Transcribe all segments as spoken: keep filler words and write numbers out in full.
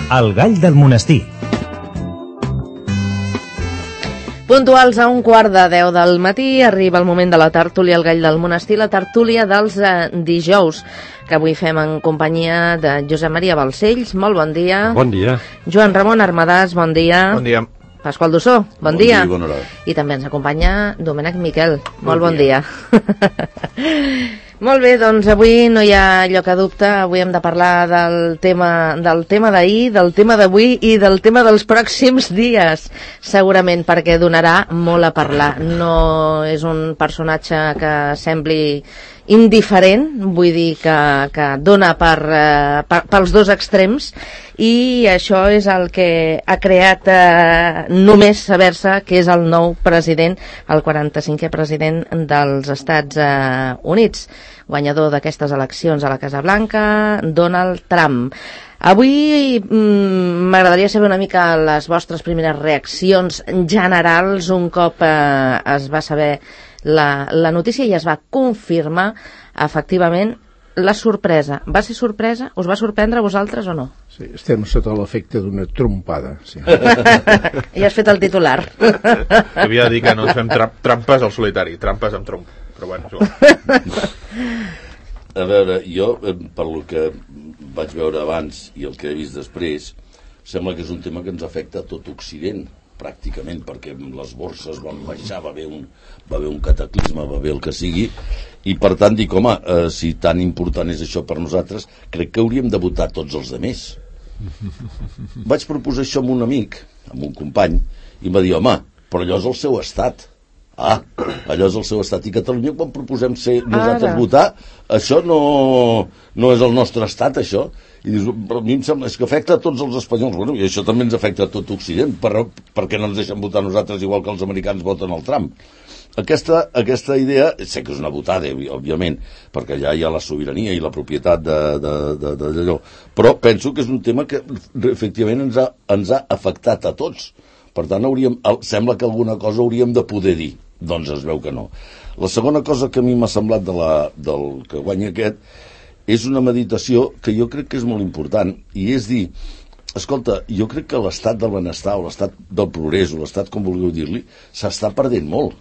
El gall del monestir. Puntuals a un quart de deu del matí arriba el moment de la tertúlia El gall del monestir, la tertúlia dels eh, dijous, que avui fem en companyia de Josep Maria Balcells. Molt bon dia. Bon dia. Joan Ramon Armadàs, bon dia. Bon dia. Pasqual Dussó, bon, bon dia. dia. Bona hora. I també ens acompanya Domènec Miquel. Molt bon, bon dia. dia. Molt bé, doncs avui no hi ha lloc a dubte, avui hem de parlar del tema del tema d'ahir, del tema d'avui i del tema dels pròxims dies, segurament perquè donarà molt a parlar. No és un personatge que sembli indiferent, vull dir que, que dona per, eh, per, pels dos extrems, i això és el que ha creat eh, només saber-se que és el nou president, el quaranta-cinquè president dels Estats eh, Units, guanyador d'aquestes eleccions a la Casa Blanca, Donald Trump. Avui m'agradaria saber una mica les vostres primeres reaccions generals un cop eh, es va saber la, la notícia i es va confirmar efectivament la sorpresa. Va ser sorpresa? Us va sorprendre a vosaltres o no? Sí, estem sota l'efecte d'una trompada. Sí. Ja has fet el titular. Havia de dir que no ens fem tra trampes al solitari, trampes amb tromp. Però bueno, això. A veure, jo, per lo que vaig veure abans i el que he vist després, sembla que és un tema que ens afecta a tot Occident, pràcticament, perquè les borses van baixar, va haver un, va haver un cataclisme, va haver el que sigui, i per tant dic, home, eh, si tan important és això per nosaltres, crec que hauríem de votar tots els altres. Vaig proposar això amb un amic, amb un company, i em va dir, home, però allò és el seu estat. Ah, allò és el seu estat. I Catalunya, quan proposem ser nosaltres Ara. votar, això no, no és el nostre estat, això. I dius, però a mi em sembla, és que afecta a tots els espanyols. Bueno, i això també ens afecta a tot Occident, per, perquè no ens deixen votar nosaltres igual que els americans voten el Trump. Aquesta, aquesta idea, sé que és una votada, òbviament, perquè allà hi ha la sobirania i la propietat d'allò, però penso que és un tema que efectivament ens ha, ens ha afectat a tots. Per tant, hauríem, sembla que alguna cosa hauríem de poder dir. Doncs es veu que no. La segona cosa que a mi m'ha semblat de la, del que guanya aquest és una meditació que jo crec que és molt important, i és dir, escolta, jo crec que l'estat del benestar o l'estat del progrés o l'estat com vulgueu dir-li s'està perdent molt.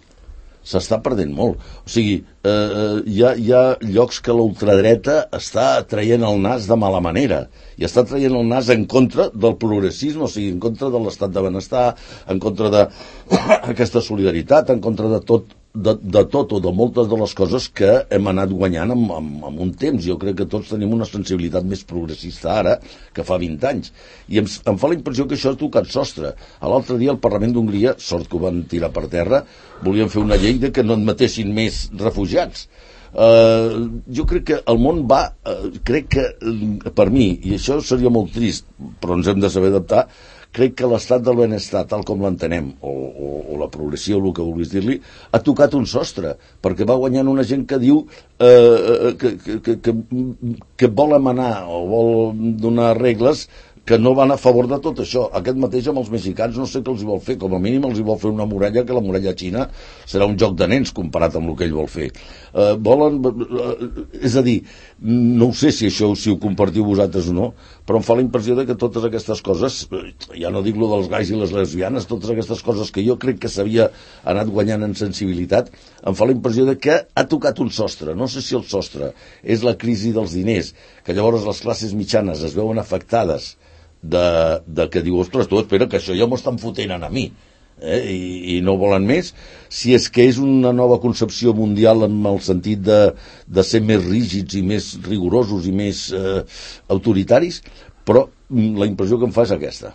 S'està perdent molt. O sigui, eh, hi, ha, hi ha llocs que l'ultradreta està traient el nas de mala manera i està traient el nas en contra del progressisme, o sigui, en contra de l'estat de benestar, en contra d'aquesta solidaritat, en contra de tot, de, de tot o de moltes de les coses que hem anat guanyant en, en, en un temps. Jo crec que tots tenim una sensibilitat més progressista ara que fa vint anys. I em, em fa la impressió que això ha tocat sostre. L'altre dia al Parlament d'Hongria, sort que ho van tirar per terra, volien fer una llei de que no admetessin més refugiats. Uh, jo crec que el món va, uh, crec que uh, per mi, i això seria molt trist, però ens hem de saber adaptar, crec que l'estat del benestar, tal com l'entenem, o, o, o la progressió, o el que vulguis dir-li, ha tocat un sostre, perquè va guanyant una gent que diu eh, que, que, que, que vol emanar o vol donar regles que no van a favor de tot això. Aquest mateix amb els mexicans no sé què els hi vol fer, com a mínim els hi vol fer una muralla, que la muralla xina serà un joc de nens comparat amb el que ell vol fer. Eh, volen, eh, és a dir, no ho sé si això si ho compartiu vosaltres o no, però em fa la impressió de que totes aquestes coses, ja no dic lo dels gais i les lesbianes, totes aquestes coses que jo crec que s'havia anat guanyant en sensibilitat, em fa la impressió de que ha tocat un sostre. No sé si el sostre és la crisi dels diners, que llavors les classes mitjanes es veuen afectades de, de que diu, ostres, tu espera que això ja m'ho estan fotent a mi, eh? I, i no volen més. Si és que és una nova concepció mundial en el sentit de, de ser més rígids i més rigorosos i més eh, autoritaris, però la impressió que em fa és aquesta.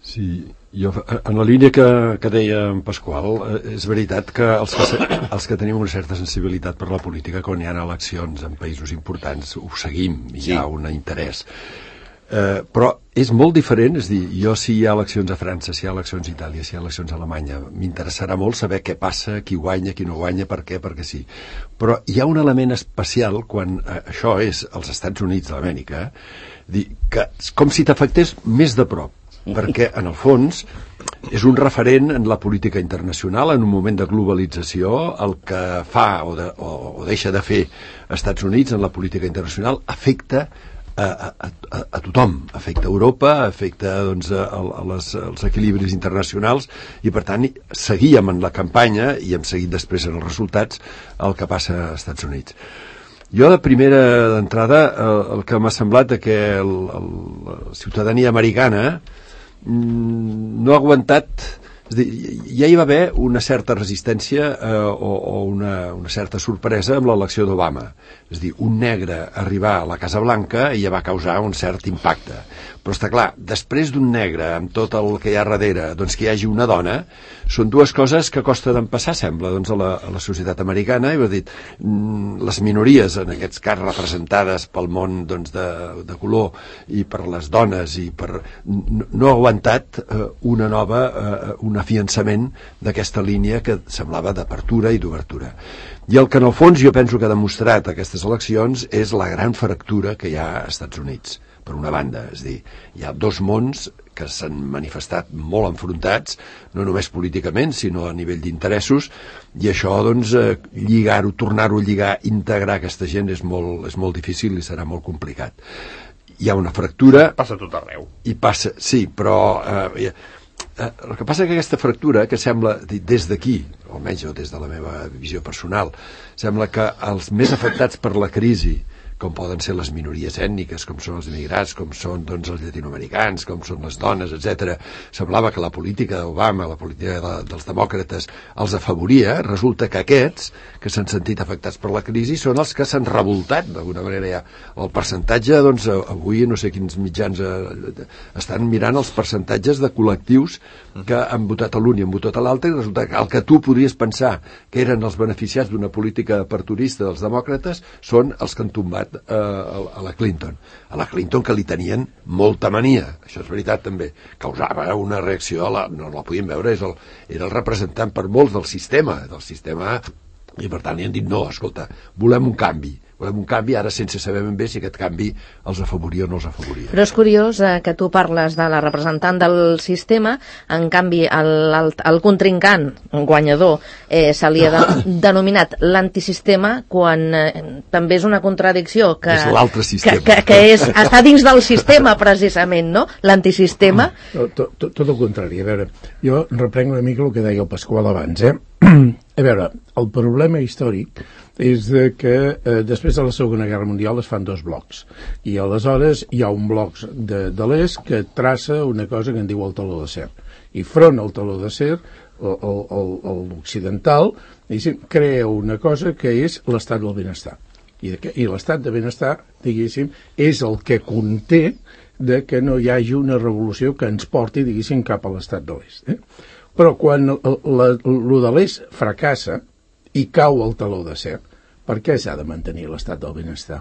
Sí, jo, en la línia que, que deia en Pasqual, és veritat que els que, els que tenim una certa sensibilitat per la política, quan hi ha eleccions en països importants, ho seguim, hi ha un interès. Eh, però és molt diferent, és dir, jo si hi ha eleccions a França, si hi ha eleccions a Itàlia, si hi ha eleccions a Alemanya, m'interessarà molt saber què passa, qui guanya, qui no guanya, per què, perquè sí. Però hi ha un element especial quan eh, això és als Estats Units d'Amèrica, dir que com si t'afectés més de prop, perquè en el fons és un referent en la política internacional en un moment de globalització. El que fa o, de, o, o deixa de fer Estats Units en la política internacional afecta a, a, a, a tothom, afecta Europa, afecta doncs, a, a les, als equilibris internacionals, i per tant seguíem en la campanya i hem seguit després en els resultats el que passa als Estats Units. Jo, de primera d'entrada, el, el que m'ha semblat que el, el, la ciutadania americana mm, no ha aguantat. És dir, ja hi va haver una certa resistència eh, o, o una, una certa sorpresa amb l'elecció d'Obama. És dir, un negre arribar a la Casa Blanca i ja va causar un cert impacte. Però està clar, després d'un negre, amb tot el que hi ha darrere, doncs que hi hagi una dona, són dues coses que costa d'empassar, sembla, doncs, a, la, a la societat americana. I ho he dit, les minories, en aquests cas representades pel món doncs, de, de color i per les dones, i per no, no ha aguantat eh, una nova, eh, un afiançament d'aquesta línia que semblava d'apertura i d'obertura. I el que en el fons jo penso que ha demostrat aquestes eleccions és la gran fractura que hi ha als Estats Units, per una banda. És a dir, hi ha dos mons que s'han manifestat molt enfrontats, no només políticament, sinó a nivell d'interessos, i això, doncs, eh, lligar-ho, tornar-ho a lligar, integrar aquesta gent és molt, és molt difícil i serà molt complicat. Hi ha una fractura... Passa tot arreu. I passa, sí, però... Eh, eh, el que passa que aquesta fractura, que sembla, des d'aquí, almenys des de la meva visió personal, sembla que els més afectats per la crisi, com poden ser les minories ètniques, com són els immigrats, com són doncs, els llatinoamericans, com són les dones, etcètera. Semblava que la política d'Obama, la política de, dels demòcrates, els afavoria. Resulta que aquests, que s'han sentit afectats per la crisi, són els que s'han revoltat, d'alguna manera. Ja. El percentatge, doncs, avui no sé quins mitjans eh, estan mirant els percentatges de col·lectius que han votat a l'un i han votat a l'altre, i resulta que el que tu podries pensar que eren els beneficiats d'una política aperturista dels demòcrates són els que han tombat a la Clinton. A la Clinton, que li tenien molta mania, això és veritat també, causava una reacció, a la, no la podíem veure, és el, era el representant per molts del sistema, del sistema, i per tant li han dit no, escolta, volem un canvi, volem un canvi, ara sense saber ben bé si aquest canvi els afavoria o no els afavoria. Però és curiós eh, que tu parles de la representant del sistema, en canvi el, el, el contrincant, un guanyador, eh, se li ha de, denominat l'antisistema, quan eh, també és una contradicció que, és l'altre sistema. Que, que, que és, està dins del sistema precisament, no? L'antisistema. Tot, tot, tot el contrari. A veure, jo reprenc una mica el que deia el Pasqual abans, eh? A veure, el problema històric és de que eh, després de la Segona Guerra Mundial es fan dos blocs, i aleshores hi ha un bloc de, de l'est que traça una cosa que en diu el taló d'acer, i front al taló d'acer l'occidental crea una cosa que és l'estat del benestar, i, de, i l'estat de benestar, diguéssim, és el que conté de que no hi hagi una revolució que ens porti, diguéssim, cap a l'estat de l'est, eh? Però quan el de l'est fracassa i cau el taló d'acer, per què s'ha de mantenir l'estat del benestar?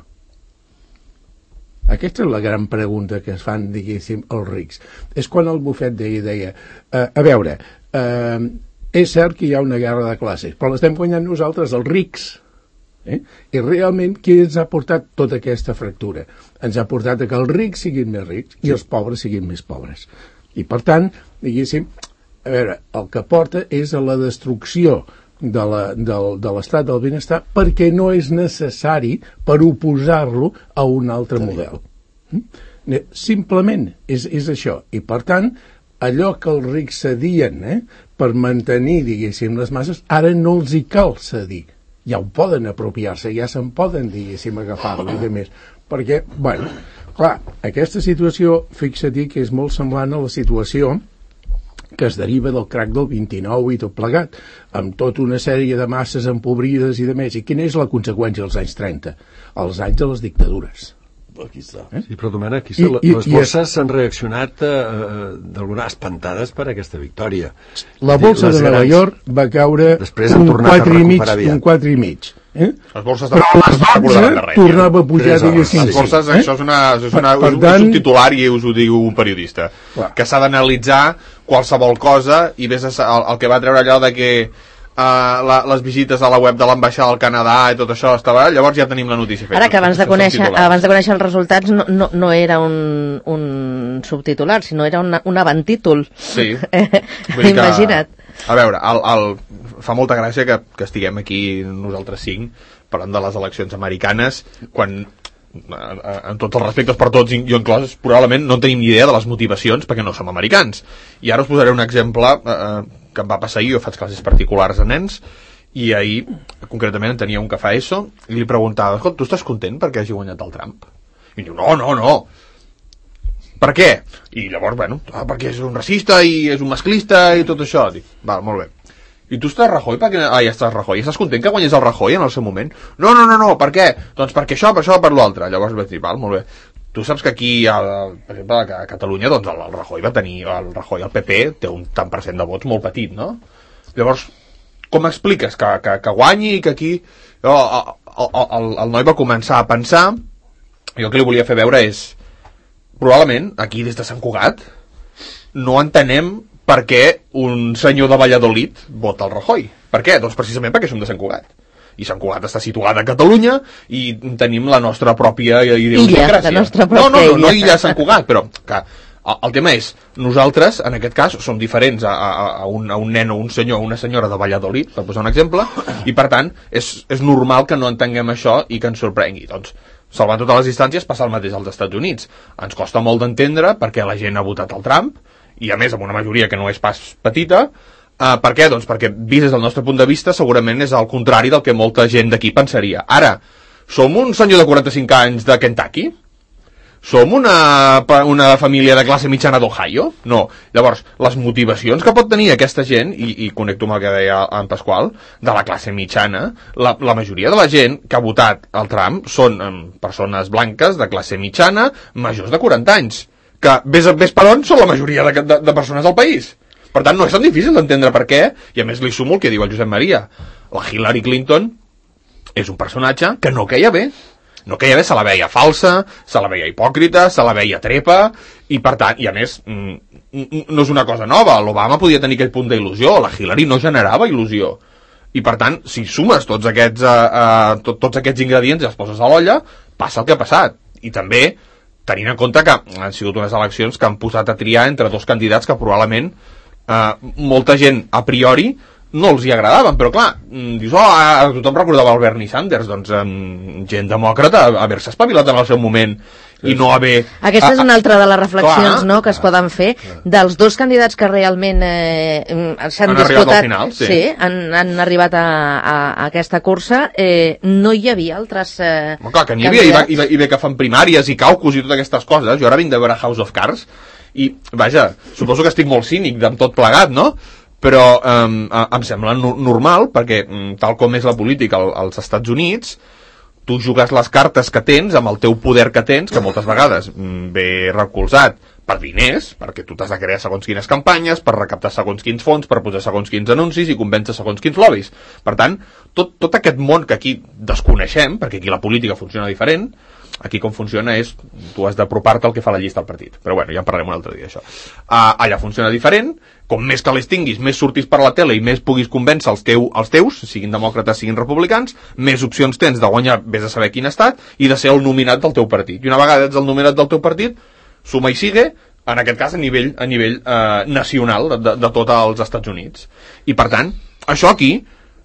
Aquesta és la gran pregunta que es fan, diguéssim, els rics. És quan el Buffett deia, deia eh, a veure, eh, és cert que hi ha una guerra de classes, però l'estem guanyant nosaltres, els rics. Eh? I realment, qui ens ha portat tota aquesta fractura? Ens ha portat a que els rics siguin més rics i els pobres siguin més pobres. I, per tant, diguéssim, a veure, el que porta és a la destrucció de la, del, de l'estat del benestar, perquè no és necessari per oposar-lo a un altre model. Simplement és, és això. I, per tant, allò que els rics cedien eh, per mantenir, diguéssim, les masses, ara no els hi cal cedir. Ja ho poden apropiar-se, ja se'n poden, diguéssim, agafar-ho i de més. Perquè, bueno, clar, aquesta situació, fixa-t'hi que és molt semblant a la situació que es deriva del crac del vint-i-nou i tot plegat, amb tota una sèrie de masses empobrides i de més. I quina és la conseqüència dels anys trenta? Els anys de les dictadures. Aquí està. Eh? Sí, però Domènec, aquí I, i, les borses s'han reaccionat eh, d'alguna espantades per aquesta victòria. La borsa de Nova York va caure un quatre i mig, un quatre i mig. Eh? Les borses de però les dotze tornava a pujar de les borses, eh? Això és, una, és, una, per, per és tant, un subtitular i us ho diu un periodista clar. Que s'ha d'analitzar qualsevol cosa i ves a, el, el que va treure allò de que uh, la, les visites a la web de l'ambaixada del Canadà i tot això estava, llavors ja tenim la notícia feta. Ara que abans de conèixer, abans de conèixer els resultats no, no, no era un, un subtitular, sinó era una, un avantítol. Sí. Imagina't. A veure, el, el, fa molta gràcia que, que estiguem aquí nosaltres cinc parlant de les eleccions americanes quan en tots els respectes per tots, jo inclòs, probablement no tenim ni idea de les motivacions perquè no som americans. I ara us posaré un exemple eh, que em va passar ahir. Jo faig classes particulars a nens i ahir, concretament, tenia un que fa ESO i li preguntava, escolta, tu estàs content perquè hagi guanyat el Trump? I em diu, no, no, no. Per què? I llavors, bueno, ah, perquè és un racista i és un masclista i tot això. Dic, val, molt bé. I tu estàs Rajoy? Perquè... Ah, ja estàs Rajoy. Estàs content que guanyés el Rajoy en el seu moment? No, no, no, no, per què? Doncs perquè això, per això, per l'altre. Llavors vaig dir, val, molt bé. Tu saps que aquí, el, per exemple, a Catalunya, doncs el, el Rajoy va tenir, el Rajoy, el P P, té un tant per cent de vots molt petit, no? Llavors, com expliques que, que, que guanyi i que aquí... Jo, el, el, el noi va començar a pensar, jo el que li volia fer veure és, probablement, aquí des de Sant Cugat, no entenem per què un senyor de Valladolid vota el Rajoy. Per què? Doncs precisament perquè som de Sant Cugat. I Sant Cugat està situada a Catalunya i tenim la nostra pròpia idiosincràsia. Illa, la nostra pròpia no, no, no, no illa Sant Cugat, però que el, el tema és, nosaltres, en aquest cas, som diferents a, a, a, un, a un nen o un senyor o una senyora de Valladolid, per posar un exemple, i per tant, és, és normal que no entenguem això i que ens sorprengui. Doncs, salvant totes les distàncies, passa el mateix als Estats Units. Ens costa molt d'entendre perquè la gent ha votat el Trump, i a més amb una majoria que no és pas petita. Uh, per què? Doncs perquè, vist des del nostre punt de vista, segurament és al contrari del que molta gent d'aquí pensaria. Ara, som un senyor de quaranta-cinc anys de Kentucky? Som una, una família de classe mitjana d'Ohio? No. Llavors, les motivacions que pot tenir aquesta gent, i, i connecto amb el que deia en Pasqual, de la classe mitjana, la, la majoria de la gent que ha votat el Trump són um, persones blanques de classe mitjana, majors de quaranta anys, que ves, ves per on són la majoria de, de, de persones del país. Per tant, no és tan difícil d'entendre per què, i a més li sumo el que diu el Josep Maria. La Hillary Clinton és un personatge que no queia bé. No queia bé, se la veia falsa, se la veia hipòcrita, se la veia trepa, i per tant, i a més, no és una cosa nova, l'Obama podia tenir aquell punt d'il·lusió, la Hillary no generava il·lusió. I per tant, si sumes tots aquests, uh, uh, tot, tots aquests ingredients i els poses a l'olla, passa el que ha passat. I també, tenint en compte que han sigut unes eleccions que han posat a triar entre dos candidats que probablement uh, molta gent a priori no els hi agradaven, però clar, dius, oh, tothom recordava el Bernie Sanders, doncs um, gent demòcrata, haver-se espavilat en el seu moment i no haver... Aquesta és una altra de les reflexions, clar, no, que es poden fer dels dos candidats que realment eh, s'han disputat, final, sí. Sí, han, han arribat a, a, a aquesta cursa, eh, no hi havia altres eh, bueno, clar, que n'hi havia, i, va, i, va, i bé que fan primàries i caucus i totes aquestes coses. Jo ara vinc de veure House of Cards i, vaja, suposo que estic molt cínic amb tot plegat, no?, però um, em sembla no, normal perquè um, tal com és la política al, als Estats Units, tu jugues les cartes que tens amb el teu poder que tens, que moltes vegades um, ve recolzat per diners, perquè tu t'has de crear segons quines campanyes, per recaptar segons quins fons, per posar segons quins anuncis i convèncer segons quins lobbies. Per tant, tot, tot aquest món que aquí desconeixem, perquè aquí la política funciona diferent, aquí com funciona és, tu has d'apropar-te al que fa la llista al partit. Però bueno, ja en parlarem un altre dia, això. Uh, allà funciona diferent, com més calés tinguis, més surtis per la tele i més puguis convèncer els, teu, els teus, siguin demòcrates, siguin republicans, més opcions tens de guanyar, vés a saber quin estat, i de ser el nominat del teu partit. I una vegada ets el nominat del teu partit, suma i sigue, en aquest cas a nivell, a nivell uh, nacional de, de, de tots els Estats Units. I per tant, això aquí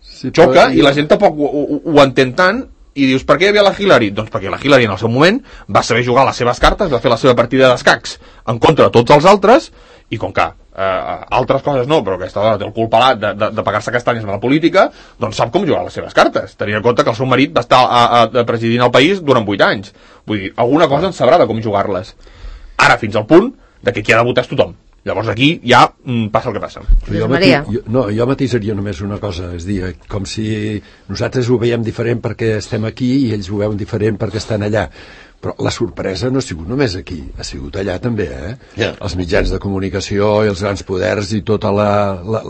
sí, xoca, i la gent tampoc ho, ho, ho entén tant, i dius, per què hi havia la Hillary? Doncs perquè la Hillary en el seu moment va saber jugar les seves cartes, va fer la seva partida d'escacs en contra de tots els altres, i com que eh, altres coses no, però aquesta dona té el cul pelat de, de, de pagar-se castanyes amb la política, doncs sap com jugar les seves cartes, tenint en compte que el seu marit va estar a, a, a presidint el país durant vuit anys. Vull dir, alguna cosa en sabrà de com jugar-les. Ara, fins al punt de que qui ha de votar és tothom. Llavors aquí ja mm, passa el que passa. Jo, mati, jo, no, jo matisaria només una cosa, és dir, com si nosaltres ho veiem diferent perquè estem aquí i ells ho veuen diferent perquè estan allà. Però la sorpresa no ha sigut només aquí, ha sigut allà també, eh? Yeah. Els mitjans de comunicació i els grans poders i totes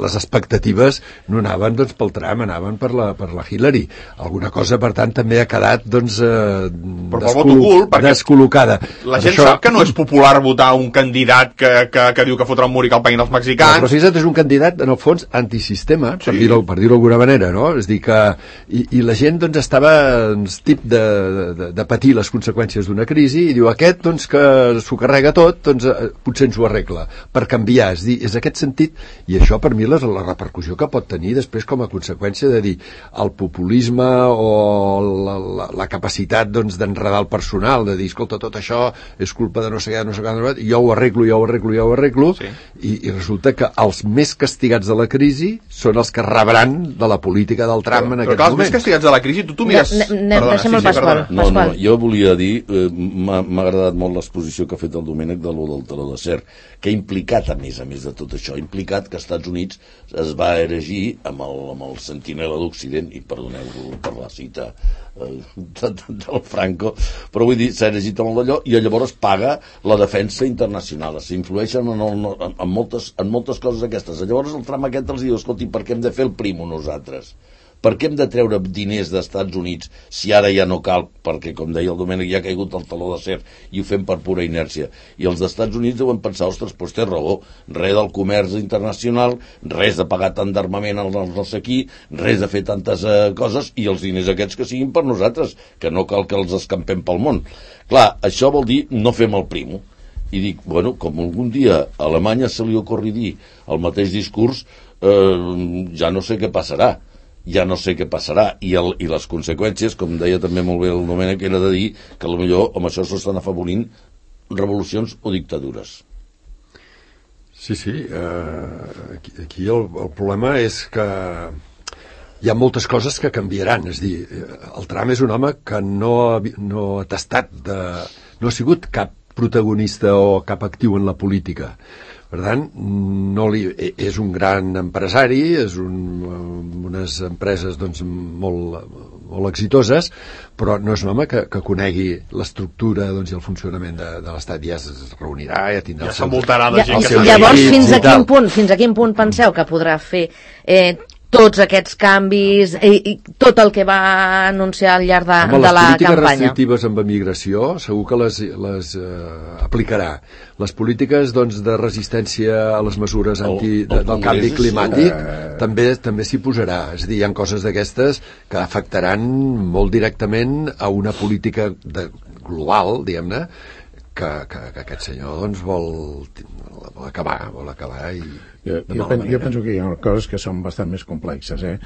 les expectatives no anaven doncs, pel Trump, anaven per la, per la Hillary. Alguna cosa, per tant, també ha quedat doncs, eh, descol descol·locada. La gent això... sap que no és popular votar un candidat que, que, que diu que fotrà un mur i que el paguin els mexicans. No, però fixa't, és un candidat, en el fons, antisistema, sí. per dir-ho per dir-ho d'alguna manera, no? És dir que... I, i la gent doncs, estava doncs, tip de, de, de patir les conseqüències d'una crisi i diu aquest doncs que s'ho carrega tot doncs potser ens ho arregla per canviar, és dir, és aquest sentit i això per mi és la repercussió que pot tenir després com a conseqüència de dir el populisme o la, la, la capacitat doncs, d'enredar el personal, de dir, escolta, tot això és culpa de no sé què, no sé què, jo ho arreglo, jo ho arreglo, jo ho arreglo, sí. i, i resulta que els més castigats de la crisi són els que rebran de la política del Trump però, en aquest moment. Però clar, els més castigats de la crisi, tu t'ho mires... Ne, ne, perdona, sí, sí, perdona. No, no, jo volia dir, eh, m'ha agradat molt l'exposició que ha fet el Domènec de lo del teló d'acer, que ha implicat, a més a més de tot això, ha implicat que als Estats Units es va erigir amb el, amb el sentinela d'Occident, i perdoneu per la cita eh, de, de, del Franco, però vull dir, s'ha erigit amb allò i llavors paga la defensa internacional, s'influeixen en, el, en, en, moltes, en moltes coses aquestes. Llavors el tram aquest els diu, escolti, per què hem de fer el primo nosaltres? Per què hem de treure diners dels Estats Units si ara ja no cal, perquè, com deia el Domènec, ja ha caigut el taló d'acer i ho fem per pura inèrcia. I els Estats Units deuen pensar, ostres, doncs té raó, res del comerç internacional, res de pagar tant d'armament als nostres aquí, res de fer tantes eh, coses, i els diners aquests que siguin per nosaltres, que no cal que els escampem pel món. Clar, això vol dir no fem el primo. I dic, bueno, com algun dia a Alemanya se li ocorri dir el mateix discurs, eh, ja no sé què passarà. ja no sé què passarà, i, el, i les conseqüències, com deia també molt bé el Domènec, era de dir que potser amb això s'estan afavorint revolucions o dictadures. Sí, sí, eh, aquí, aquí el, el problema és que hi ha moltes coses que canviaran, és dir, el Trump és un home que no ha, no ha tastat de, no ha sigut cap protagonista o cap actiu en la política. Per tant, no li, és un gran empresari, és un, unes empreses doncs, molt, molt exitoses, però no és un home que, que conegui l'estructura doncs, i el funcionament de, de l'Estat. Ja es reunirà, ja tindrà... Ja s'envoltarà de gent ja, que... Llavors, fins a, quin punt, fins a quin punt penseu que podrà fer eh, tots aquests canvis i, i tot el que va anunciar al llarg de, Home, de la campanya? Les polítiques restrictives amb emigració segur que les, les eh, aplicarà. Les polítiques doncs, de resistència a les mesures anti, el, el del canvi climàtic uh... també també s'hi posarà. És a dir, hi ha coses d'aquestes que afectaran molt directament a una política de, global, diguem-ne, que, que, que aquest senyor doncs, vol, vol acabar, vol acabar i... Jo, jo, pen, jo penso que hi ha coses que són bastant més complexes, eh?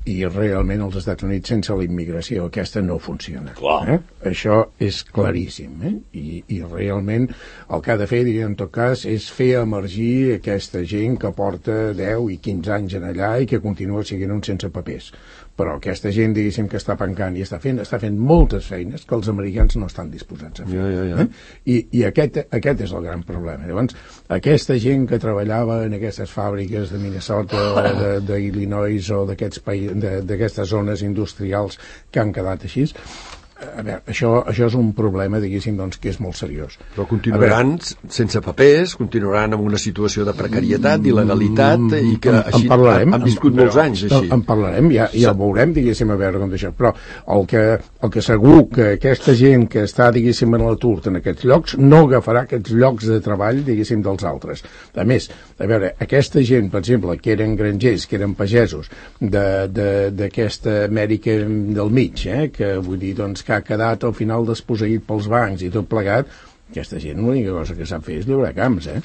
I realment als Estats Units sense la immigració aquesta no funciona. Eh? Això és claríssim, eh? I, i realment el que ha de fer, en tot cas, és fer emergir aquesta gent que porta deu i quinze anys en allà i que continua sent uns sense papers. Però aquesta gent, diguéssim, que està pencant i està fent, està fent moltes feines que els americans no estan disposats a fer. Ja, ja, ja. Eh? I, i aquest, aquest és el gran problema. Llavors, aquesta gent que treballava en aquestes fàbriques de Minnesota o d'Illinois o d'aquestes zones industrials que han quedat així, a veure, això, això és un problema, diguéssim, doncs, que és molt seriós. Però continuaran sense papers, continuaran en una situació de precarietat, d'il·legalitat, i que en, així en parlarem, han viscut en, molts anys així. En parlarem, ja, ja ho veurem, diguéssim, a veure com d'això. Però el que, el que segur que aquesta gent que està, diguéssim, en l'atur en aquests llocs, no agafarà aquests llocs de treball, diguéssim, dels altres. A més, a veure, aquesta gent, per exemple, que eren grangers, que eren pagesos d'aquesta Amèrica del mig, eh, que vull dir, doncs, que ha quedat al final desposseït pels bancs i tot plegat, aquesta gent l'única cosa que sap fer és llaurar camps, eh?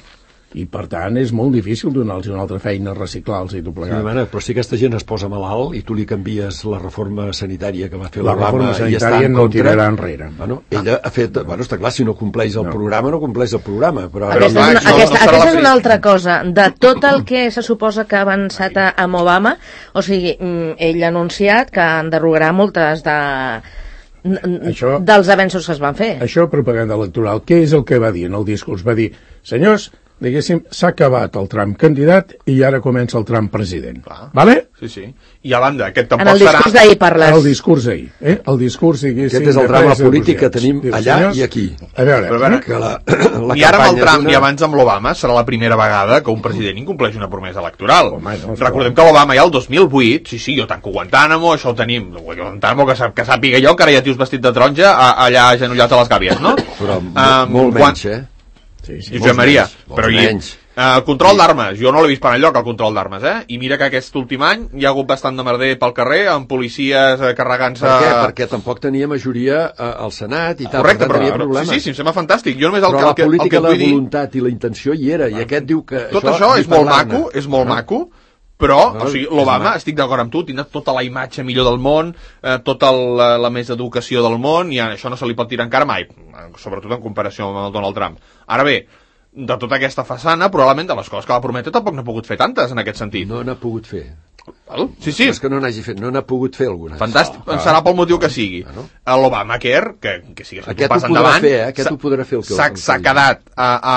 I per tant és molt difícil donar-los una altra feina, reciclar-los i tot plegat. Sí, mana, però si aquesta gent es posa malalt i tu li canvies la reforma sanitària que va fer la reforma sanitària no tirarà enrere. Bueno, ella ha fet, bueno, està clar, si no compleix el no. programa, no compleix el programa. Però... Aquesta, però, és, una, aquesta, no aquesta és una altra cosa. De tot el que se suposa que ha avançat amb Obama, o sigui, ell ha anunciat que enderrogarà moltes de... Això, dels avenços que es van fer. Això, propaganda electoral. Què és el que va dir en el discurs? Va dir, senyors, diguéssim, s'ha acabat el tram candidat i ara comença el tram president. Clar. Vale? Sí, sí. I a banda, aquest tampoc serà... En el discurs serà... d'ahir parles. El discurs d'ahir. Eh? El discurs, diguéssim... Aquest és el drama polític que tenim allà senyors, i aquí. A veure, Però, a veure que la, la i ara amb el Trump una... i abans amb l'Obama serà la primera vegada que un president incompleix una promesa electoral. Home, no, recordem que l'Obama ja el dos mil vuit, sí, sí, jo tanco Guantánamo, això ho tenim, Guantánamo, que, que sàpiga jo, que ara hi ha tios vestit de taronja allà agenollat a les gàbies, no? Però um, molt menys, eh? Sí, sí, Josep Maria, menys, però hi, uh, control d'armes, jo no l'he vist per enlloc el control d'armes, eh? I mira que aquest últim any hi ha hagut bastant de merder pel carrer amb policies eh, carregant-se... Per què? Perquè tampoc tenia majoria uh, al Senat i tal. Correcte, per tant, però, però sí, sí, em sembla fantàstic. Jo només el però que, la política, el que, el que la voluntat dir... i la intenció hi era, i aquest diu que... Tot això, això és molt maco, és molt maco, Però, o sigui, l'Obama, estic d'acord amb tu, tindrà tota la imatge millor del món, eh, tota la, la més educació del món, i això no se li pot tirar encara mai, sobretot en comparació amb el Donald Trump. Ara bé, de tota aquesta façana, probablement de les coses que va prometre tampoc n'ha pogut fer tantes, en aquest sentit. No n'ha pogut fer. Sí, sí. És que no n'hagi fet, no n'ha pogut fer algunes. Fantàstic, ah, serà pel motiu que sigui. Ah, no? L'Obamacare, que, que sigui aquest un pas endavant, fer, eh? aquest ho podrà fer el que s'ha quedat a, a,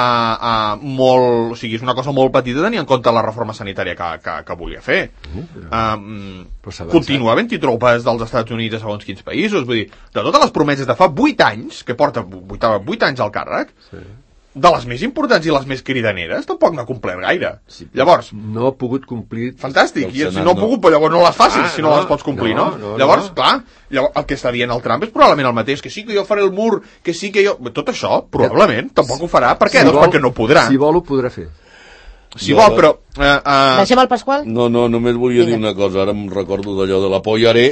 a molt, o sigui, és una cosa molt petita tenir en compte la reforma sanitària que, que, que volia fer. Uh, um, continua havent-hi tropes dels Estats Units a segons quins països, vull dir, de totes les promeses de fa vuit anys, que porta vuit anys al càrrec, sí, de les més importants i les més cridaneres, tampoc n'ha complert gaire. Sí, llavors... No ha pogut complir... Fantàstic, i si no ha pogut, però llavors no les facis, ah, si no, no les pots complir, no? no? no llavors, no. clar, llavors, el que està dient el Trump és probablement el mateix, que sí que jo faré el mur, que sí que jo... Tot això, probablement, tampoc ho farà. Per què? Si doncs vol, perquè no podrà. Si vol, ho podrà fer. Si jo, vol, però... Uh, uh... Deixem el Pasqual? No, no, només volia Vinga. dir una cosa. Ara em recordo d'allò de l'apoyaré.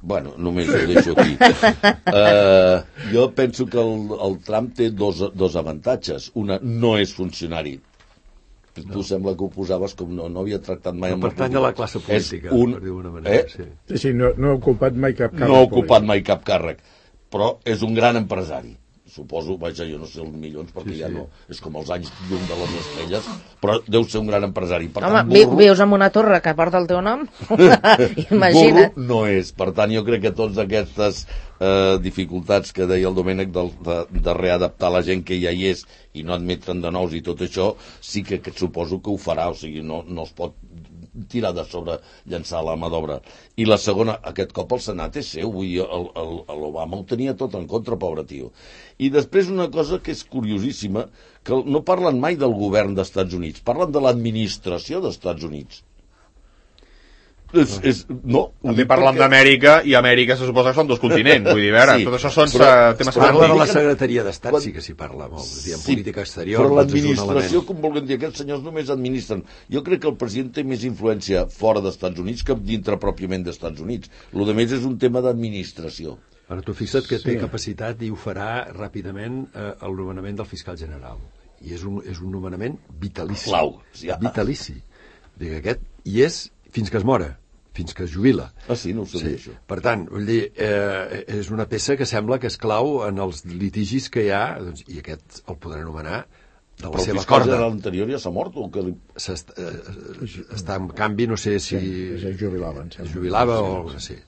Bueno, només ho deixo aquí. Uh, jo penso que el, el Trump té dos, dos avantatges. Una, no és funcionari. Tu no. sembla que ho posaves com no, no havia tractat mai... No pertany a la classe política, un, per dir d'una manera. Eh? Sí, sí, sí no, no ha ocupat mai cap càrrec. No ha ocupat mai cap càrrec, però és un gran empresari. Suposo, vaja, jo no sé els milions, perquè sí, ja sí. no... És com els anys llum de les estrelles, però deu ser un gran empresari. Per Home, tant, burro... vius en una torre que porta el teu nom? Imagina't. Burro no és. Per tant, jo crec que totes aquestes eh, dificultats que deia el Domènec de, de, de readaptar la gent que ja hi és i no admetre'n de nous i tot això, sí que, que suposo que ho farà, o sigui, no, no es pot tirar de sobre, llançar la mà d'obra. I la segona, aquest cop el Senat és seu, vull dir, l'Obama ho tenia tot en contra, pobre tio. I després una cosa que és curiosíssima, que no parlen mai del govern dels Estats Units, parlen de l'administració dels Estats Units. És, és, no, també parlen perquè... d'Amèrica, i Amèrica se suposa que són dos continents, vull dir, a veure, sí, tot això són però, temes semàntics. Parla de la secretaria d'Estat, sí que s'hi parla molt, sí, en política exterior. Però l'administració, com volen dir, aquests senyors només administren. Jo crec que el president té més influència fora dels Estats Units que dintre pròpiament dels Estats Units. Lo de més és un tema d'administració. Ara tu fixa't que té sí. capacitat i ho farà ràpidament eh, el nomenament del fiscal general. I és un, és un nomenament vitalici. Clau. Sí, ja. Vitalici. Dic, aquest, i és fins que es mora, fins que es jubila. Ah, sí? No ho sabia, sí. això. Per tant, vull dir, eh, és una peça que sembla que és clau en els litigis que hi ha, doncs, i aquest el podrà anomenar de la però seva corda. Però el fiscal general anterior ja s'ha mort? O que li... S'està, eh, està en canvi, no sé si... Sí, es jubilava. Es jubilava o alguna cosa així.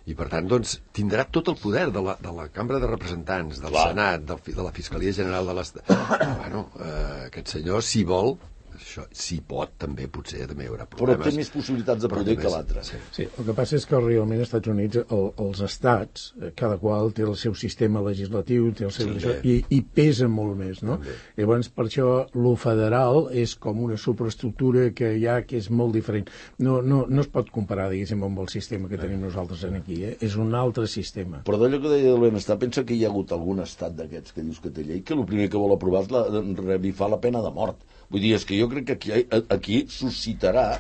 I, per tant, doncs, tindrà tot el poder de la, de la Cambra de Representants, del Clar. Senat, del, de la Fiscalia General de l'Estat. Bueno, eh, aquest senyor, si vol, això, si pot, també, potser, també hi haurà problemes. Però té més possibilitats de poder que l'altre. Sí. sí, el que passa és que realment als Estats Units, el, els estats, cada qual té el seu sistema legislatiu, té el seu... Sí, i, i pesa molt més, no? També. Llavors, per això, lo federal és com una superestructura que hi ha, que és molt diferent. No, no, no es pot comparar, diguéssim, amb el sistema que tenim nosaltres aquí, eh? És un altre sistema. Però d'allò que deia del benestar, pensa que hi ha hagut algun estat d'aquests que dius que té llei, que el primer que vol aprovar és la, revifar la pena de mort. Vull dir, és que jo crec que aquí, aquí suscitarà,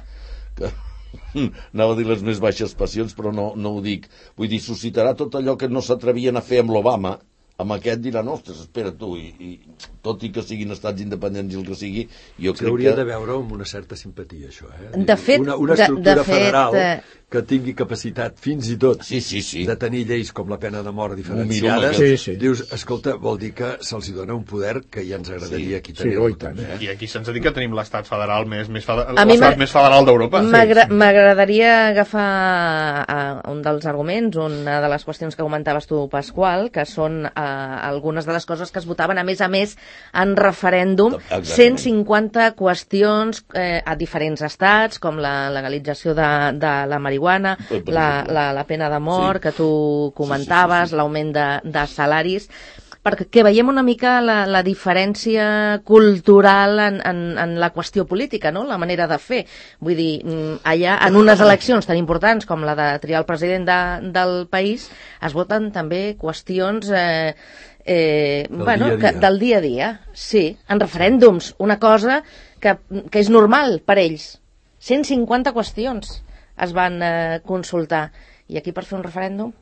que anava a dir les més baixes passions, però no, no ho dic, vull dir, suscitarà tot allò que no s'atrevien a fer amb l'Obama, amb aquest diran, ostres, espera tu, i, i tot i que siguin estats independents i el que sigui, jo crec que... Hauria de veure amb una certa simpatia, això, eh? De fet... Una, una estructura de, de federal fet, que tingui capacitat, fins i tot, sí, sí, sí. de tenir lleis com la pena de mort diferenciades, sí, sí. dius, escolta, vol dir que se'ls dona un poder que ja ens agradaria sí. aquí tenir-lo sí, també. Eh? I aquí se'ns ha dit que tenim l'estat federal més, més, federal, l'estat més federal d'Europa. M'agradaria sí. agafar uh, un dels arguments, una de les qüestions que comentaves tu, Pasqual, que són uh, algunes de les coses que es votaven, a més a més, en referèndum, Exactament. cent cinquanta qüestions eh, a diferents estats, com la legalització de, de la marihuana, la, la, la pena de mort, sí. que tu comentaves, sí, sí, sí, sí. l'augment de, de salaris, perquè veiem una mica la, la diferència cultural en, en, en la qüestió política, no? La manera de fer. Vull dir, allà, en unes eleccions tan importants com la de triar el president de, del país, es voten també qüestions... Eh, Eh, del, bueno, dia dia. Que, del dia a dia, sí, en referèndums, una cosa que, que és normal per ells. cent cinquanta qüestions es van eh, consultar. I aquí per fer un referèndum?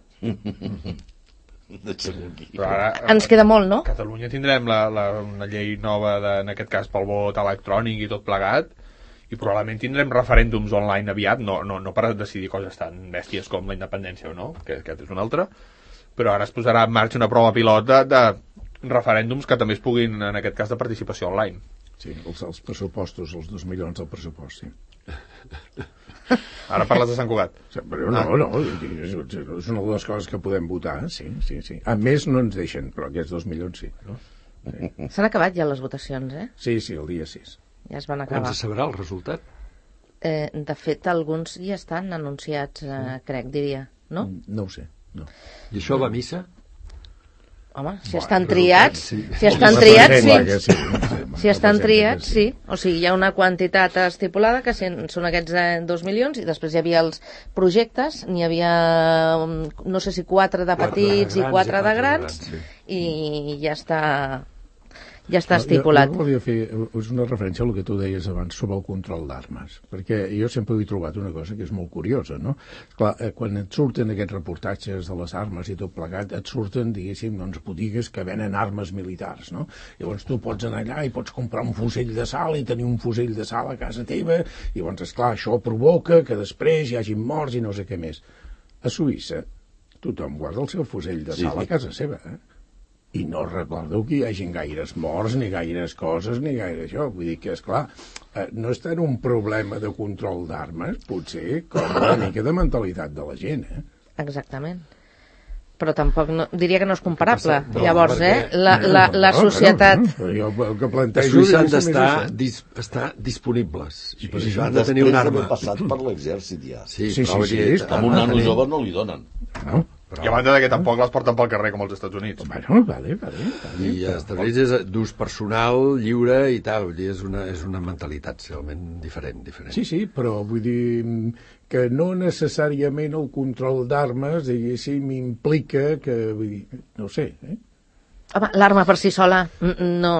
Però ara, ens queda molt, no? A Catalunya tindrem la, la, una llei nova, de, en aquest cas pel vot electrònic i tot plegat, i probablement tindrem referèndums online aviat, no, no, no per decidir coses tan bèsties com la independència o no, que aquest és un altre, però ara es posarà en marxa una prova pilot de, de referèndums que també es puguin, en aquest cas, de participació online. Sí, els, els pressupostos, els dos milions del pressupost, sí. Ara parles de Sant Cugat. Però no, no, és una de les coses que podem votar, sí, sí, sí. A més no ens deixen, però aquests dos milions sí. No? Sí. S'han acabat ja les votacions, eh? Sí, sí, el dia sis. Ja es van acabar. Quan se sabrà el resultat? Eh, de fet, alguns ja estan anunciats, eh, crec, diria, no? No ho sé, no. I això va a missa? Home, si estan triats, si estan triats, sí. Si estan triats, sí. O sigui, hi ha una quantitat estipulada que són aquests dos milions i després hi havia els projectes, n'hi havia, no sé si quatre de petits i quatre de grans i ja està... ja està estipulat. Jo, jo volia fer una referència al que tu deies abans sobre el control d'armes, perquè jo sempre he trobat una cosa que és molt curiosa, no? Clar, quan et surten aquests reportatges de les armes i tot plegat, et surten, diguéssim, doncs, botigues que venen armes militars, no? Llavors tu pots anar allà i pots comprar un fusell de sal i tenir un fusell de sal a casa teva, i llavors, esclar, això provoca que després hi hagi morts i no sé què més. A Suïssa, tothom guarda el seu fusell de sal a casa seva, eh? I no recordo que hi hagin gaires morts, ni gaires coses, ni gaire això. Vull dir que, esclar, no és tant un problema de control d'armes, potser com una mica de mentalitat de la gent, eh? Exactament. Però tampoc, no, diria que no és comparable. No, llavors, eh, la, la, la societat... No, no, no. Jo el que plantejo... Els suïssos han d'estar dis, estar disponibles. I per això han de tenir una arma. Després d'haver passat per l'exèrcit, ja. Sí, sí, sí, sí, sí, a un nano jove no li donen. No? Però... I a banda que tampoc les porten pel carrer com als Estats Units. Bueno, vale, vale. vale I als Estats Units és d'ús personal, lliure i tal. Vull dir, és una, és una mentalitat realment diferent, diferent. Sí, sí, però vull dir que no necessàriament el control d'armes, diguéssim, implica que, vull dir, no ho sé, eh? Home, l'arma per si sola no,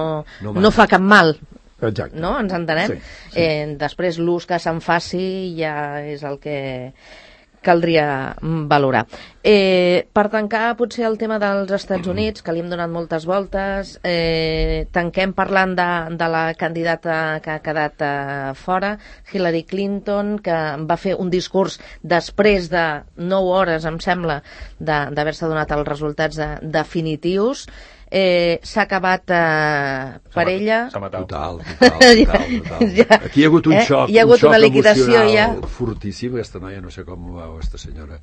no, no fa cap mal. Exacte. No? Ens entenem? Sí, sí. Eh, després l'ús que se'n faci ja és el que caldria valorar. Eh, per tancar potser el tema dels Estats Units, que li hem donat moltes voltes, eh, tanquem parlant de, de la candidata que ha quedat eh, fora, Hillary Clinton, que va fer un discurs després de nou hores, em sembla, d'haver-se donat els resultats de, definitius. Eh, s'ha acabat eh, per ella total, total, total, total. Ja, aquí hi ha hagut un eh? xoc, hi ha hagut un xoc una liquidació ja fortíssim. Aquesta noia no sé com ho va, o aquesta senyora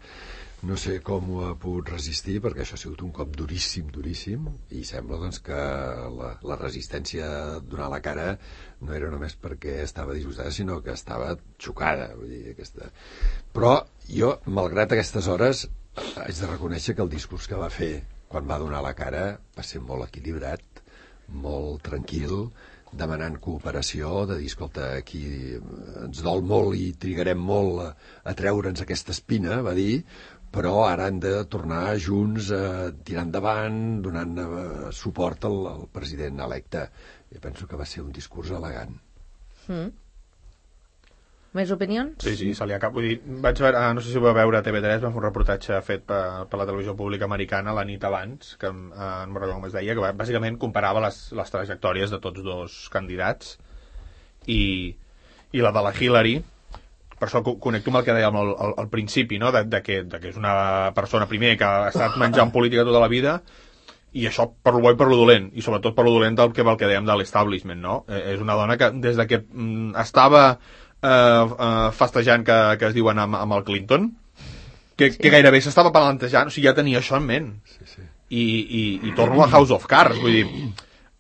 no sé com ho ha pogut resistir, perquè això ha sigut un cop duríssim, duríssim, i sembla doncs que la, la resistència a donar la cara no era només perquè estava disgustada, sinó que estava xocada, vull dir, aquesta... Però jo, malgrat aquestes hores, haig de reconèixer que el discurs que va fer quan va donar la cara va ser molt equilibrat, molt tranquil, demanant cooperació, de dir, escolta, aquí ens dol molt i trigarem molt a, a treure'ns aquesta espina, va dir, però ara han de tornar junts a tirar endavant, donant uh, suport al, al president electe. Jo penso que va ser un discurs elegant. Mm. Més opinions? Sí, sí, se li acaba. Vull dir, vaig veure, no sé si ho va veure a T V tres, va fer un reportatge fet per, per la televisió pública americana la nit abans, que eh, no me'n recordo com es deia, que bàsicament comparava les, les trajectòries de tots dos candidats i, i la de la Hillary. Per això connecto amb el que dèiem al, al, al principi, no? de, de, que, de que és una persona, primer, que ha estat menjant política tota la vida, i això per lo bo i per lo dolent, i sobretot per lo dolent del que, del que dèiem de l'establishment, no? Eh, és una dona que des de que mm, estava Uh, uh, festejant que, que es diuen amb, amb el Clinton, que, sí. que gairebé s'estava plantejant, o sigui, ja tenia això en ment. Sí, sí. I, i, i torno a House of Cards, vull dir,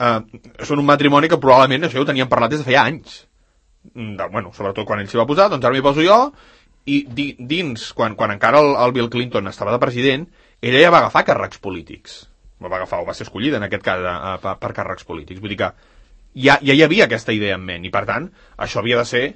uh, són un matrimoni que probablement això ho teníem parlat des de feia anys. De, bueno, sobretot quan ell s'hi va posar, doncs ara m'hi poso jo, i di, dins, quan, quan encara el, el Bill Clinton estava de president, ella ja va agafar càrrecs polítics. Va agafar, o va ser escollida en aquest cas uh, per, per càrrecs polítics. Vull dir que ja, ja hi havia aquesta idea en ment, i per tant, això havia de ser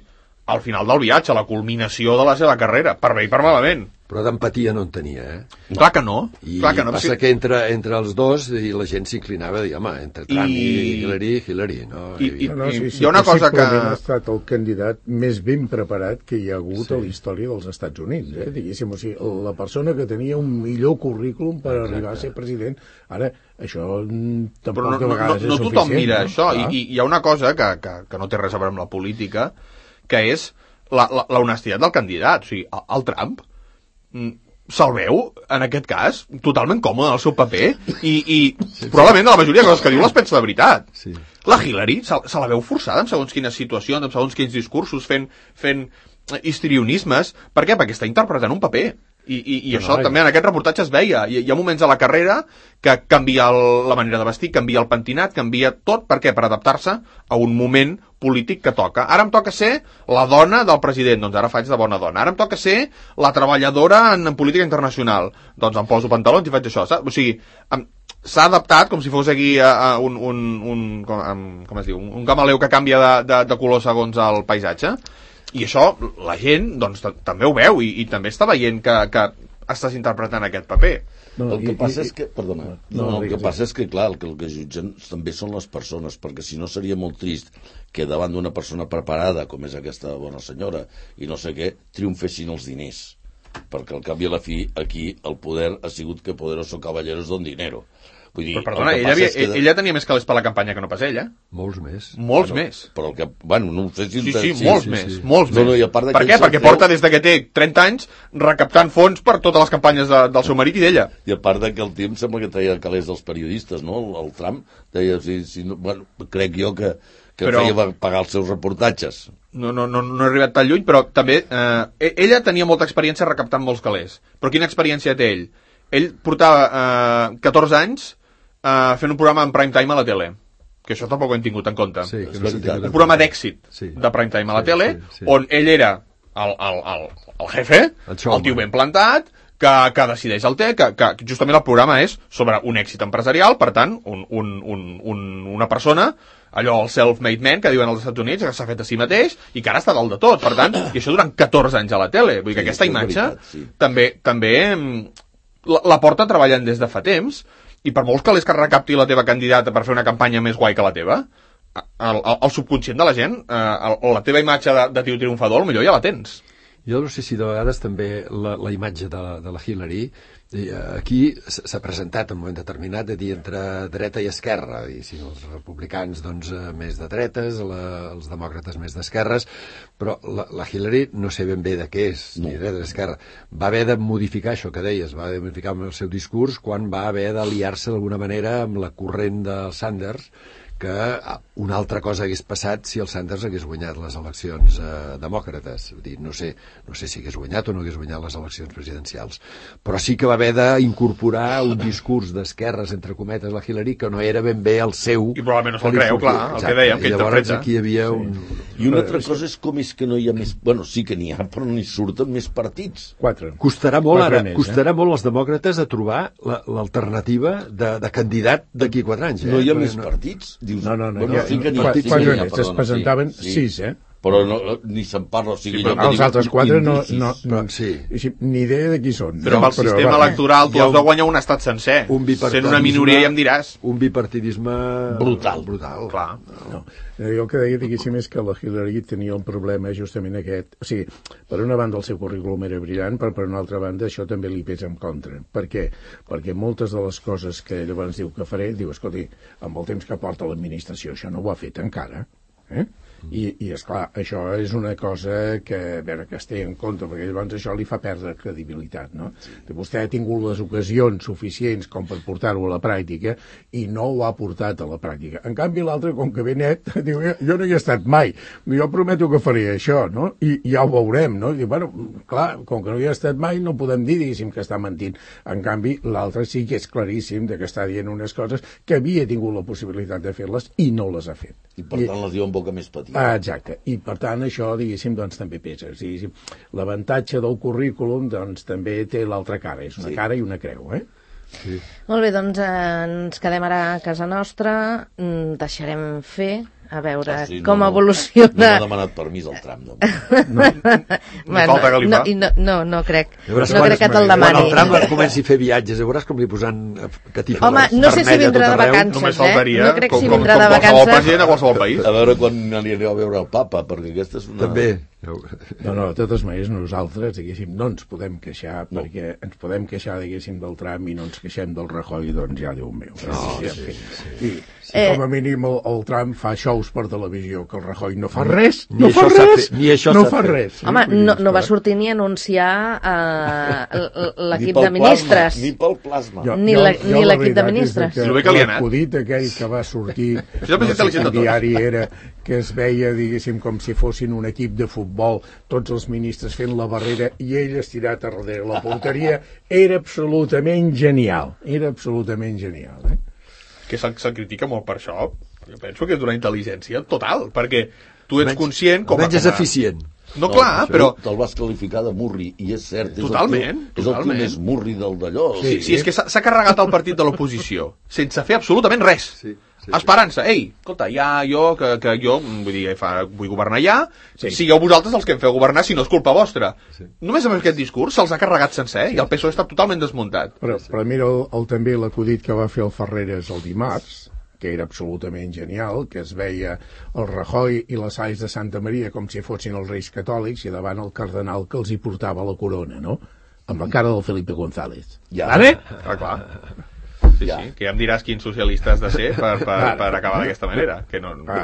al final del viatge, la culminació de la seva carrera, per bé i per malament. Però d'empatia no en tenia, eh? No. Clar que no. I Clar que no, passa si... que entre, entre els dos i la gent s'inclinava a dir, home, entre Trump I, i Hillary, Hillary, no? I, i, no, no, sí, sí, hi ha una cosa que... ha estat el candidat més ben preparat que hi ha hagut sí. a la història dels Estats Units, eh? Diguéssim, o sigui, la persona que tenia un millor currículum per Exacte. arribar a ser president, ara, això tampoc Però no, de vegades no, no, no és tothom suficient. mira no? això, ah. I, i hi ha una cosa que, que, que no té res a veure amb la política, que és la, la, la honestitat del candidat. O sigui, el, el Trump se'l veu, en aquest cas, totalment còmode en el seu paper i, i sí, probablement la majoria de coses que diu les pensa de veritat. Sí. La Hillary se, se la veu forçada en segons quines situacions, en segons quins discursos, fent, fent histrionismes. Per què? Perquè està interpretant un paper. I, i, i no, això no, també en aquest reportatge es veia. Hi, hi ha moments a la carrera que canvia el, la manera de vestir, canvia el pentinat, canvia tot. Per què? Per adaptar-se a un moment polític que toca. Ara em toca ser la dona del president, doncs ara faig de bona dona. Ara em toca ser la treballadora en, en política internacional, doncs em poso pantalons i faig això. Saps? O sigui, s'ha adaptat com si fos aquí a, a un, un, un, com, com es diu, un, un camaleu que canvia de, de, de color segons el paisatge. I això, la gent, doncs, també ho veu i, i també està veient que, que estàs interpretant aquest paper. No, el que i, passa i, és que, perdona, no, no, no, el que passa és que, clar, el que, el que jutgen també són les persones, perquè si no seria molt trist que davant d'una persona preparada, com és aquesta bona senyora, i no sé què, triomfessin els diners. Perquè al cap i a la fi, aquí, el poder ha sigut que poderoso caballeros don dinero. Vull dir, però perdona, ella, havia, que... ella tenia més calés per la campanya que no pas ella. Molts més. Molts bueno, més. Però el que, bueno, no sé si... Sí, sí, sí molts sí, més, sí. molts no, no, més. Per què? Perquè porta des de que té trenta anys recaptant fons per totes les campanyes de, del seu marit i d'ella. I a part de que el tio em sembla que treia calés dels periodistes, no? El, el Trump deia, si, si no, bueno, crec jo que, que però... feia pagar els seus reportatges. No, no, no, no he arribat tan lluny, però també eh, ella tenia molta experiència recaptant molts calés. Però quina experiència té ell? Ell portava eh, catorze anys Uh, fent un programa en prime time a la tele, que això tampoc ho hem tingut en compte. Sí, que no un programa d'èxit sí. de prime time a la sí, tele, sí, sí. on ell era el, el, el, el jefe, el, el tio ben plantat, que, que decideix el té, que, que justament el programa és sobre un èxit empresarial, per tant, un, un, un, un, una persona, allò, el self-made man, que diuen als Estats Units, que s'ha fet a si mateix, i que ara està dalt de tot, per tant, i això durant catorze anys a la tele. Vull dir que sí, aquesta imatge veritat, sí. també, també la, la porta treballant des de fa temps, i per molts calés que recapti la teva candidata per fer una campanya més guai que la teva, el, el, el subconscient de la gent, eh, el, la teva imatge de, de tio triomfador, potser ja la tens. Jo no sé si de vegades també la, la imatge de la, de la Hillary, aquí s'ha presentat en un moment determinat de dir entre dreta i esquerra, i si els republicans doncs més de dretes, la, els demòcrates més d'esquerres, però la, la Hillary no sé ben bé de què és, ni dreta ni esquerra. Va haver de modificar això que deies, va haver de modificar el seu discurs quan va haver d'aliar-se d'alguna manera amb la corrent de Sanders, que una altra cosa hagués passat si el Sanders hagués guanyat les eleccions eh, demòcrates. Vull dir, no sé, no sé si hagués guanyat o no hagués guanyat les eleccions presidencials, però sí que va haver d'incorporar un discurs d'esquerres, entre cometes, la Hillary, que no era ben bé el seu... I probablement no se'l creu, clar, el que dèiem, que interpreta. Llavors aquí hi havia sí. un... I una altra cosa és com és que no hi ha més... Bueno, sí que n'hi ha, però no hi surten més partits. Quatre. Costarà molt, quatre ara, més, costarà eh? molt als demòcrates a trobar l'alternativa la, de, de candidat d'aquí quatre anys. Eh? No hi ha més no... partits? Dius, no, no, no. Bueno, ja, sí que n'hi ha. Sí, quatre més, es presentaven sí. sis, eh? Però no, ni se'n parla, o sigui... Sí, però els altres quatre no, no, no, sí. ni idea de qui són. Però amb el però, sistema va, electoral tu has de guanyar un estat sencer. Un sent una minoria ja em diràs. Un bipartidisme... Brutal. Brutal. Clar. No. Jo el que deia, diguéssim, és que la Hillary tenia un problema justament aquest. O sigui, per una banda el seu currículum era brillant, però per una altra banda això també li pesa en contra. Per què? Perquè moltes de les coses que llavors diu que faré, diu, escolti, amb el temps que porta l'administració això no ho ha fet encara. Eh? I, i esclar, això és una cosa que, a veure, que es té en compte, perquè llavors això li fa perdre credibilitat, no? Sí. Vostè ha tingut les ocasions suficients com per portar-ho a la pràctica i no ho ha portat a la pràctica. En canvi, l'altre, com que ve net, diu, jo no hi he estat mai, jo prometo que faré això, no? I, i ja ho veurem, no? I diu, bueno, clar, com que no hi he estat mai, no podem dir, diguéssim, que està mentint. En canvi, l'altre sí que és claríssim de que està dient unes coses que havia tingut la possibilitat de fer-les i no les ha fet. I per tant les diu en boca més petita. Ah, exacte, i per tant això, diguéssim, doncs també pesa. L'avantatge del currículum doncs també té l'altra cara, és una sí. cara i una creu, eh? Sí. Molt bé, doncs eh, ens quedem ara a casa nostra, deixarem fer, a veure ah, sí, com no, evoluciona... No m'ha demanat permís el tram, no. No, bueno, no, no, no, no crec, no crec que te'l demani. Quan el tram es comenci a fer viatges, veuràs com li posen catifa Home, no sé si vindrà de vacances, eh? No crec si vindrà de vacances. A qualsevol país. A veure quan anireu a veure el papa, perquè aquesta és una... També. No, no, de totes maneres nosaltres, diguéssim, no ens podem queixar, no. perquè ens podem queixar, diguéssim, del Trump i no ens queixem del Rajoy, doncs ja, Déu meu. No, sí, sí, sí. I, si eh... com a mínim el, el Trump fa shows per televisió, que el Rajoy no fa res, ni no fa res, fet, ni això no fa res. Sí, home, no, no va sortir ni anunciar uh, l'equip de ministres. Ni pel plasma. Jo, ni l'equip de ministres. L'acudit aquell que va sortir al diari era que es veia, diguéssim, com si fossin un equip de futbol, tots els ministres fent la barrera i ell estirat a darrere la porteria. Era absolutament genial, era absolutament genial. Eh? Que se'l se critica molt per això, jo penso que és una intel·ligència total, perquè tu ets conscient... Com menys és eficient. No, no, clar, però... Te'l vas qualificar de murri, i és cert, és totalment, el teu, és el teu més murri del d'allò. Sí, sí, és que s'ha carregat el partit de l'oposició, sense fer absolutament res. Sí, sí, esperança, ei, escolta, ja jo, que, que jo, vull dir, fa, vull governar ja, sí. Sigueu vosaltres els que em feu governar, si no és culpa vostra. Sí. Només amb aquest discurs se'ls ha carregat sencer, i el P S O E està totalment desmuntat. Però, però mira el, el, també l'acudit que va fer el Ferreres el dimarts, que era absolutament genial, que es veia el Rajoy i les Salls de Santa Maria com si fossin els reis catòlics i davant el cardenal que els hi portava la corona, no? Amb la cara del Felipe González. Ja. Vale? Ah, clar. Sí, ja. Sí, que ja em diràs quin socialista has de ser per, per, per acabar d'aquesta manera. Que no, no...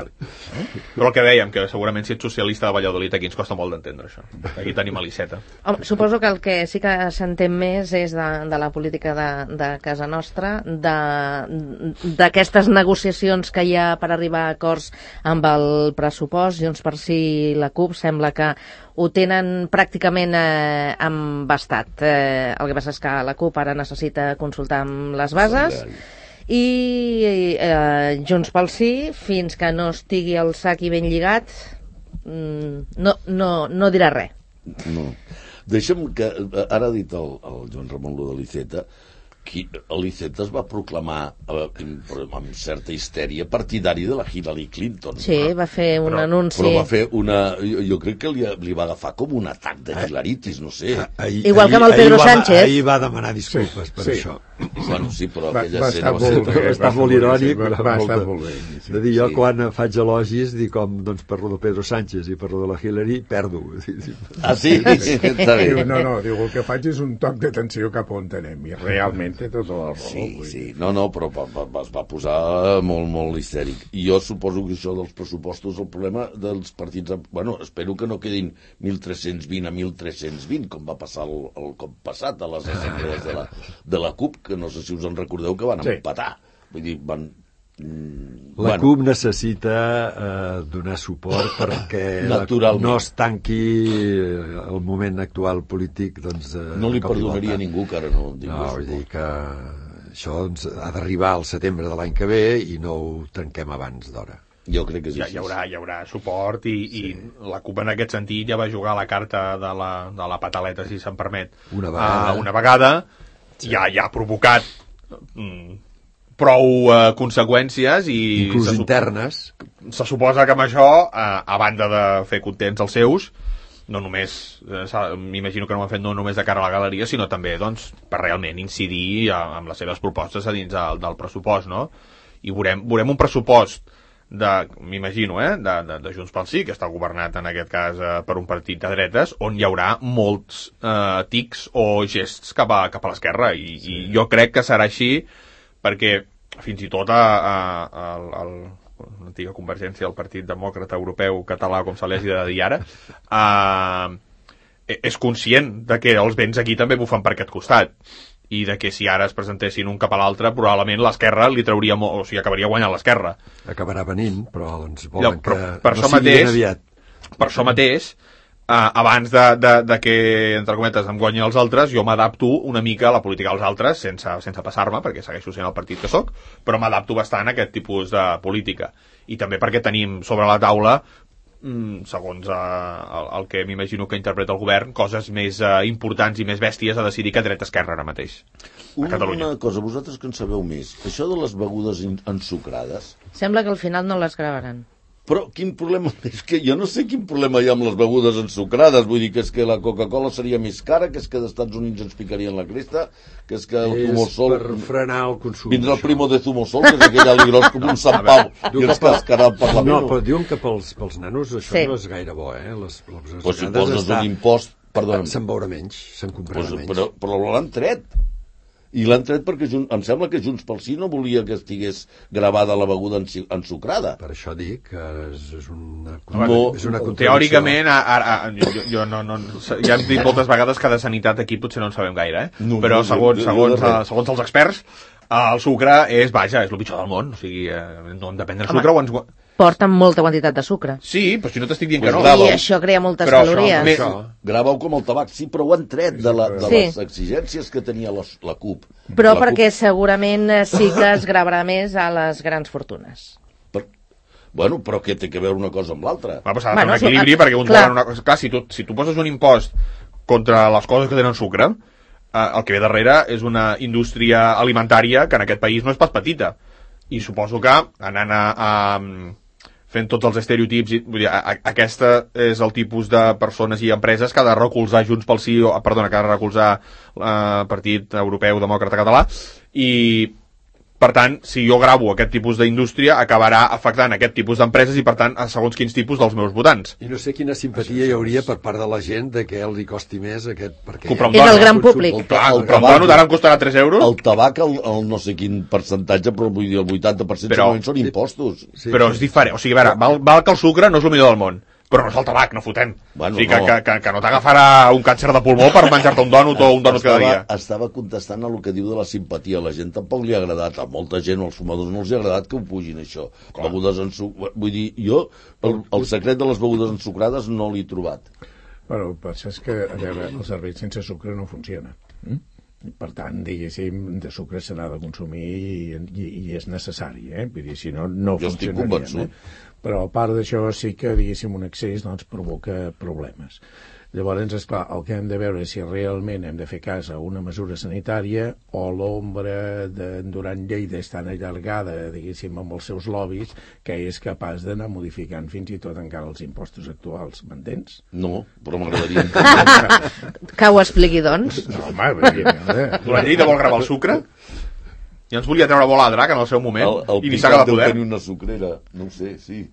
Però el que dèiem, que segurament si ets socialista de Valladolid aquí ens costa molt d'entendre això. Aquí tenim a l'Iceta. Home, suposo que el que sí que s'entén més és de, de la política de, de casa nostra, d'aquestes negociacions que hi ha per arribar a acords amb el pressupost. Junts per Sí i la CUP sembla que ho tenen pràcticament eh, embastat. Eh, el que passa és que la CUP ara necessita consultar amb les bases i eh, Junts pel Sí, fins que no estigui el sac i ben lligat, no, no, no dirà res. No. Deixa'm que, ara ha dit el, el Joan Ramon lo de l'Iceta, l'Iceta es va proclamar eh, amb certa histèria partidari de la Hillary Clinton. Sí, no? Va fer un però, anunci. Però va fer una... Jo, jo crec que li, li va agafar com un atac de hilaritis, no sé. Ahir, Igual que amb el Pedro ahir Sánchez. Va, ahir va demanar disculpes sí, per sí. això. Bueno, sí, però va, aquella va escena va ser... Va estar molt irònic. Va, va estar molt bé. Sí. De dir, jo sí. quan faig elogis, dic com doncs, parlo de Pedro Sánchez i parlo de la Hillary, perdo. Ah, sí? Està bé. Diu, no, no, diu, el que faig és un toc d'atenció cap on anem, i realment té tota la raó. Sí, sí, no, no, però va, va, es va posar molt, molt histèric. I jo suposo que això dels pressupostos, el problema dels partits... Bueno, espero que no quedin mil tres-cents vint a mil tres-cents vint, com va passar el, el cop passat a les assemblees de la, de la CUP, que no sé si us en recordeu, que van sí. empatar. Vull dir, van... Mm, la bueno. CUP necessita eh, donar suport perquè no es tanqui el moment actual polític, doncs... Eh, no li perdonaria ningú que ara no... No, vull dir que això doncs, ha d'arribar al setembre de l'any que ve i no ho trenquem abans d'hora. Jo crec que és ja, hi, haurà, hi haurà suport i, sí. i la CUP en aquest sentit ja va jugar la carta de la, de la pataleta, si se'm permet, una vegada, uh, una vegada sí. ja, ja ha provocat mm, prou uh, conseqüències i inclús se internes. Se suposa que amb això, uh, a banda de fer contents els seus, no només, eh, m'imagino que no ho han fet no només de cara a la galeria, sinó també doncs, per realment incidir amb les seves propostes a dins del, del pressupost, no? I veurem, veurem un pressupost de, m'imagino, eh, de, de, de Junts pel Sí, que està governat en aquest cas eh, per un partit de dretes, on hi haurà molts eh, tics o gests cap a, cap a l'esquerra, i, sí. i jo crec que serà així, perquè fins i tot a, a, a, a, l'antiga Convergència, el Partit Demòcrata Europeu Català, com se li hagi de dir ara, eh, és conscient de que els vents aquí també bufen per aquest costat, i de que si ara es presentessin un cap a l'altre, probablement l'esquerra li trauria molt, o sigui, acabaria guanyant l'esquerra. Acabarà venint, però doncs volen però, que per no sigui ben aviat. Per això mateix, eh, abans de, de, de que, entre cometes, em guanyin els altres, jo m'adapto una mica a la política dels altres, sense, sense passar-me, perquè segueixo sent el partit que sóc, però m'adapto bastant a aquest tipus de política. I també perquè tenim sobre la taula, segons uh, el, el que m'imagino que interpreta el govern, coses més uh, importants i més bèsties a decidir que dreta-esquerra ara mateix a una, Catalunya. Una cosa, vosaltres que en sabeu més, això de les begudes ensucrades... Sembla que al final no les gravaran. Però quin problema... És que jo no sé quin problema hi ha amb les begudes ensucrades. Vull dir que és que la Coca-Cola seria més cara, que és que als Estats Units ens picarien la cresta, que és que el zumosol... És per frenar el consum. Vindrà el primo de zumosol, que és aquell aligros com un Sant Pau, i ens cascarà el Parlament. No, però diuen que pels, pels nanos això sí. no és gaire bo, eh? Les, les pues si poses està... un impost... Perdona. Se'n veurà menys, se'n comprarà pues, menys. Però, però l'han tret. I l'han tret perquè Jun... em sembla que Junts pel Sí no volia que estigués gravada la beguda ensucrada. Per això dic que és, és una, no, és una contradicció. Teòricament, ara, jo, jo no, no, ja hem dit moltes vegades que de sanitat aquí potser no en sabem gaire, eh? No, però segons, segons, segons, segons els experts, el sucre és, vaja, és el pitjor del món. O sigui, no hem de prendre sucre o ens... Porten molta quantitat de sucre. Sí, però si no t'estic dient pues que no. Grava-ho. I això crea moltes però calories. Això, grava-ho com el tabac, sí, però ho han tret de, la, de sí. les exigències que tenia la, la C U P. Però la perquè C U P... segurament sí que es gravarà més a les grans fortunes. Per... Bueno, però què té que veure una cosa amb l'altra? Va passar bueno, un equilibri, a... perquè uns volen una cosa... Clar, si tu, si tu poses un impost contra les coses que tenen sucre, eh, el que ve darrere és una indústria alimentària que en aquest país no és pas petita. I suposo que anant a... a fent tots els estereotips, vull dir, a, a, aquesta és el tipus de persones i empreses que ha de recolzar Junts pel Sí, o, perdona, que ha de recolzar el eh, Partit Europeu Demòcrata Català, i per tant, si jo gravo aquest tipus d'indústria, acabarà afectant aquest tipus d'empreses i, per tant, a segons quins tipus dels meus votants. I no sé quina simpatia hi hauria per part de la gent de que li costi més aquest... Perquè és el gran públic. El, Clar, el, el tabac, el ara em costarà tres euros. El tabac, el, el no sé quin percentatge, però vull dir, el vuitanta per cent però, són impostos. Sí, però sí. és diferent. O sigui, a veure, val, val que el sucre no és el millor del món, però no és el tabac, no fotem. Bueno, o sigui, no. Que, que, que no t'agafarà un càncer de pulmó per menjar-te un dònut o un dònut estava, cada dia. Estava contestant a el que diu de la simpatia. A la gent tampoc li ha agradat, a molta gent, als fumadors no els ha agradat que ho pugin, això. Clar. Begudes ensucrades... Vull dir, jo, el, el secret de les begudes ensucrades no l'he trobat. Però el que és que, a veure, el cervell sense sucre no funciona. Mm? Per tant, diguéssim, de sucre se n'ha de consumir i, i, i és necessari, eh? Vull dir, si no, no jo estic convençut. Eh? Però a part d'això sí que, diguéssim, un excés doncs, provoca problemes. Llavors, esclar, el que hem de veure és si realment hem de fer cas a una mesura sanitària o l'ombra de Duran Lleida és tan allargada, diguéssim, amb els seus lobbies, que és capaç d'anar modificant fins i tot encara els impostos actuals. M'entens? No, però m'agradaria entendre. Que ho expliqui, doncs. No, home, perquè... Duran Lleida vol gravar el sucre? Ja ens volia treure bola a drac en el seu moment el, el i ni s'haga de poder. El tenir una sucrera, no ho sé, sí.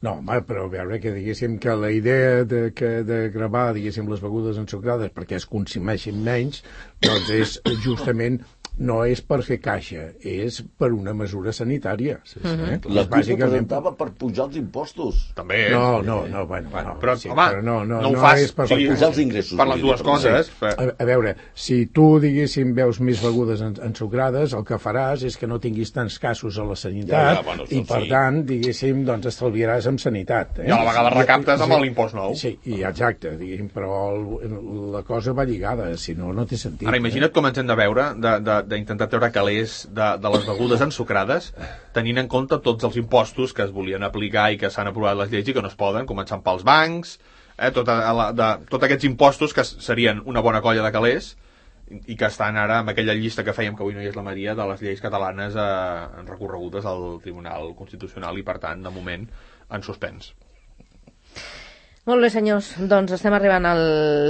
No, home, però a veure que diguéssim que la idea de, que, de gravar, diguéssim, les begudes ensucrades perquè es consumeixin menys, doncs és justament... no és per fer caixa, és per una mesura sanitària. Sí, sí. Eh? La C U P ho presentava per pujar els impostos. També. No, no, no, bueno, no, però, sí, home, però no, no, no ho no fas, és per, per pujar els ingressos. Per les dues coses. Sí. A, a veure, si tu, diguéssim, veus més begudes ensucrades, el que faràs és que no tinguis tants casos a la sanitat ja, ja, bueno, i, per sí. tant, diguéssim, doncs estalviaràs amb sanitat. Eh? I a la vegada recaptes amb l'impost nou. Sí, i exacte, diguéssim, però el, la cosa va lligada, si no, no té sentit. Ara, imagina't eh? com ens hem de veure, d'intentar treure calés de, de les begudes ensucrades, tenint en compte tots els impostos que es volien aplicar i que s'han aprovat les lleis i que no es poden, començant pels bancs, eh, tota la, de, tots aquests impostos que serien una bona colla de calés i que estan ara amb aquella llista que fèiem, que avui no hi és la Maria, de les lleis catalanes eh, recorregudes al Tribunal Constitucional i, per tant, de moment, en suspens. Molt bé, senyors. Doncs estem arribant al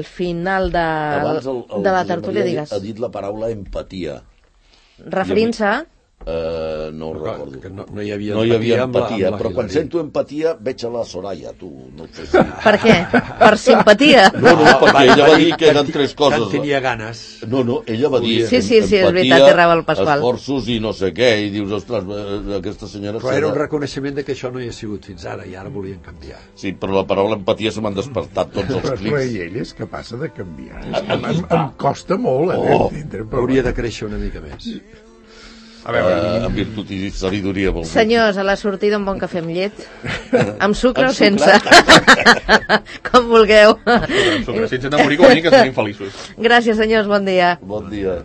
final de, Abans el, el de la tertúlia, digues. Ha dit la paraula empatia. Referint-se a... Uh, no ho recordo. Que no, no hi havia no hi havia empatia, amb la, amb la però quan sento empatia veig a la Soraya, tu, no sé si... Per què? Per simpatia? No, no, perquè ella va dir que eren tres coses. Que tenia ganes. No, no, ella va dir sí, sí, sí, empatia, és veritat, té raó el Pasqual. Esforços i no sé què, i dius, ostres, aquesta senyora... Però era un reconeixement de que això no hi ha sigut fins ara, i ara volien canviar. Sí, però la paraula empatia se m'han despertat tots els clics. Però ell és capaç de canviar. Em, em costa molt, eh, oh, d'entendre. Hauria de créixer una mica més. A veure, uh, amb virtut i sabidoria. Senyors, a la sortida un bon cafè amb llet. Amb sucre o sense? Com vulgueu. Amb sucre, sense enamorir, com a mínim que estem feliços. Gràcies, senyors, bon dia. Bon dia.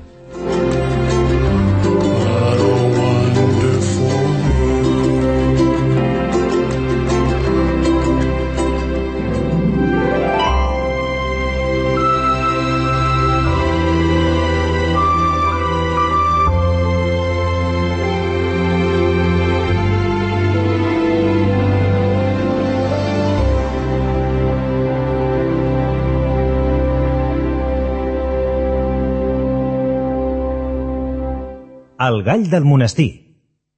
El gall del monestir.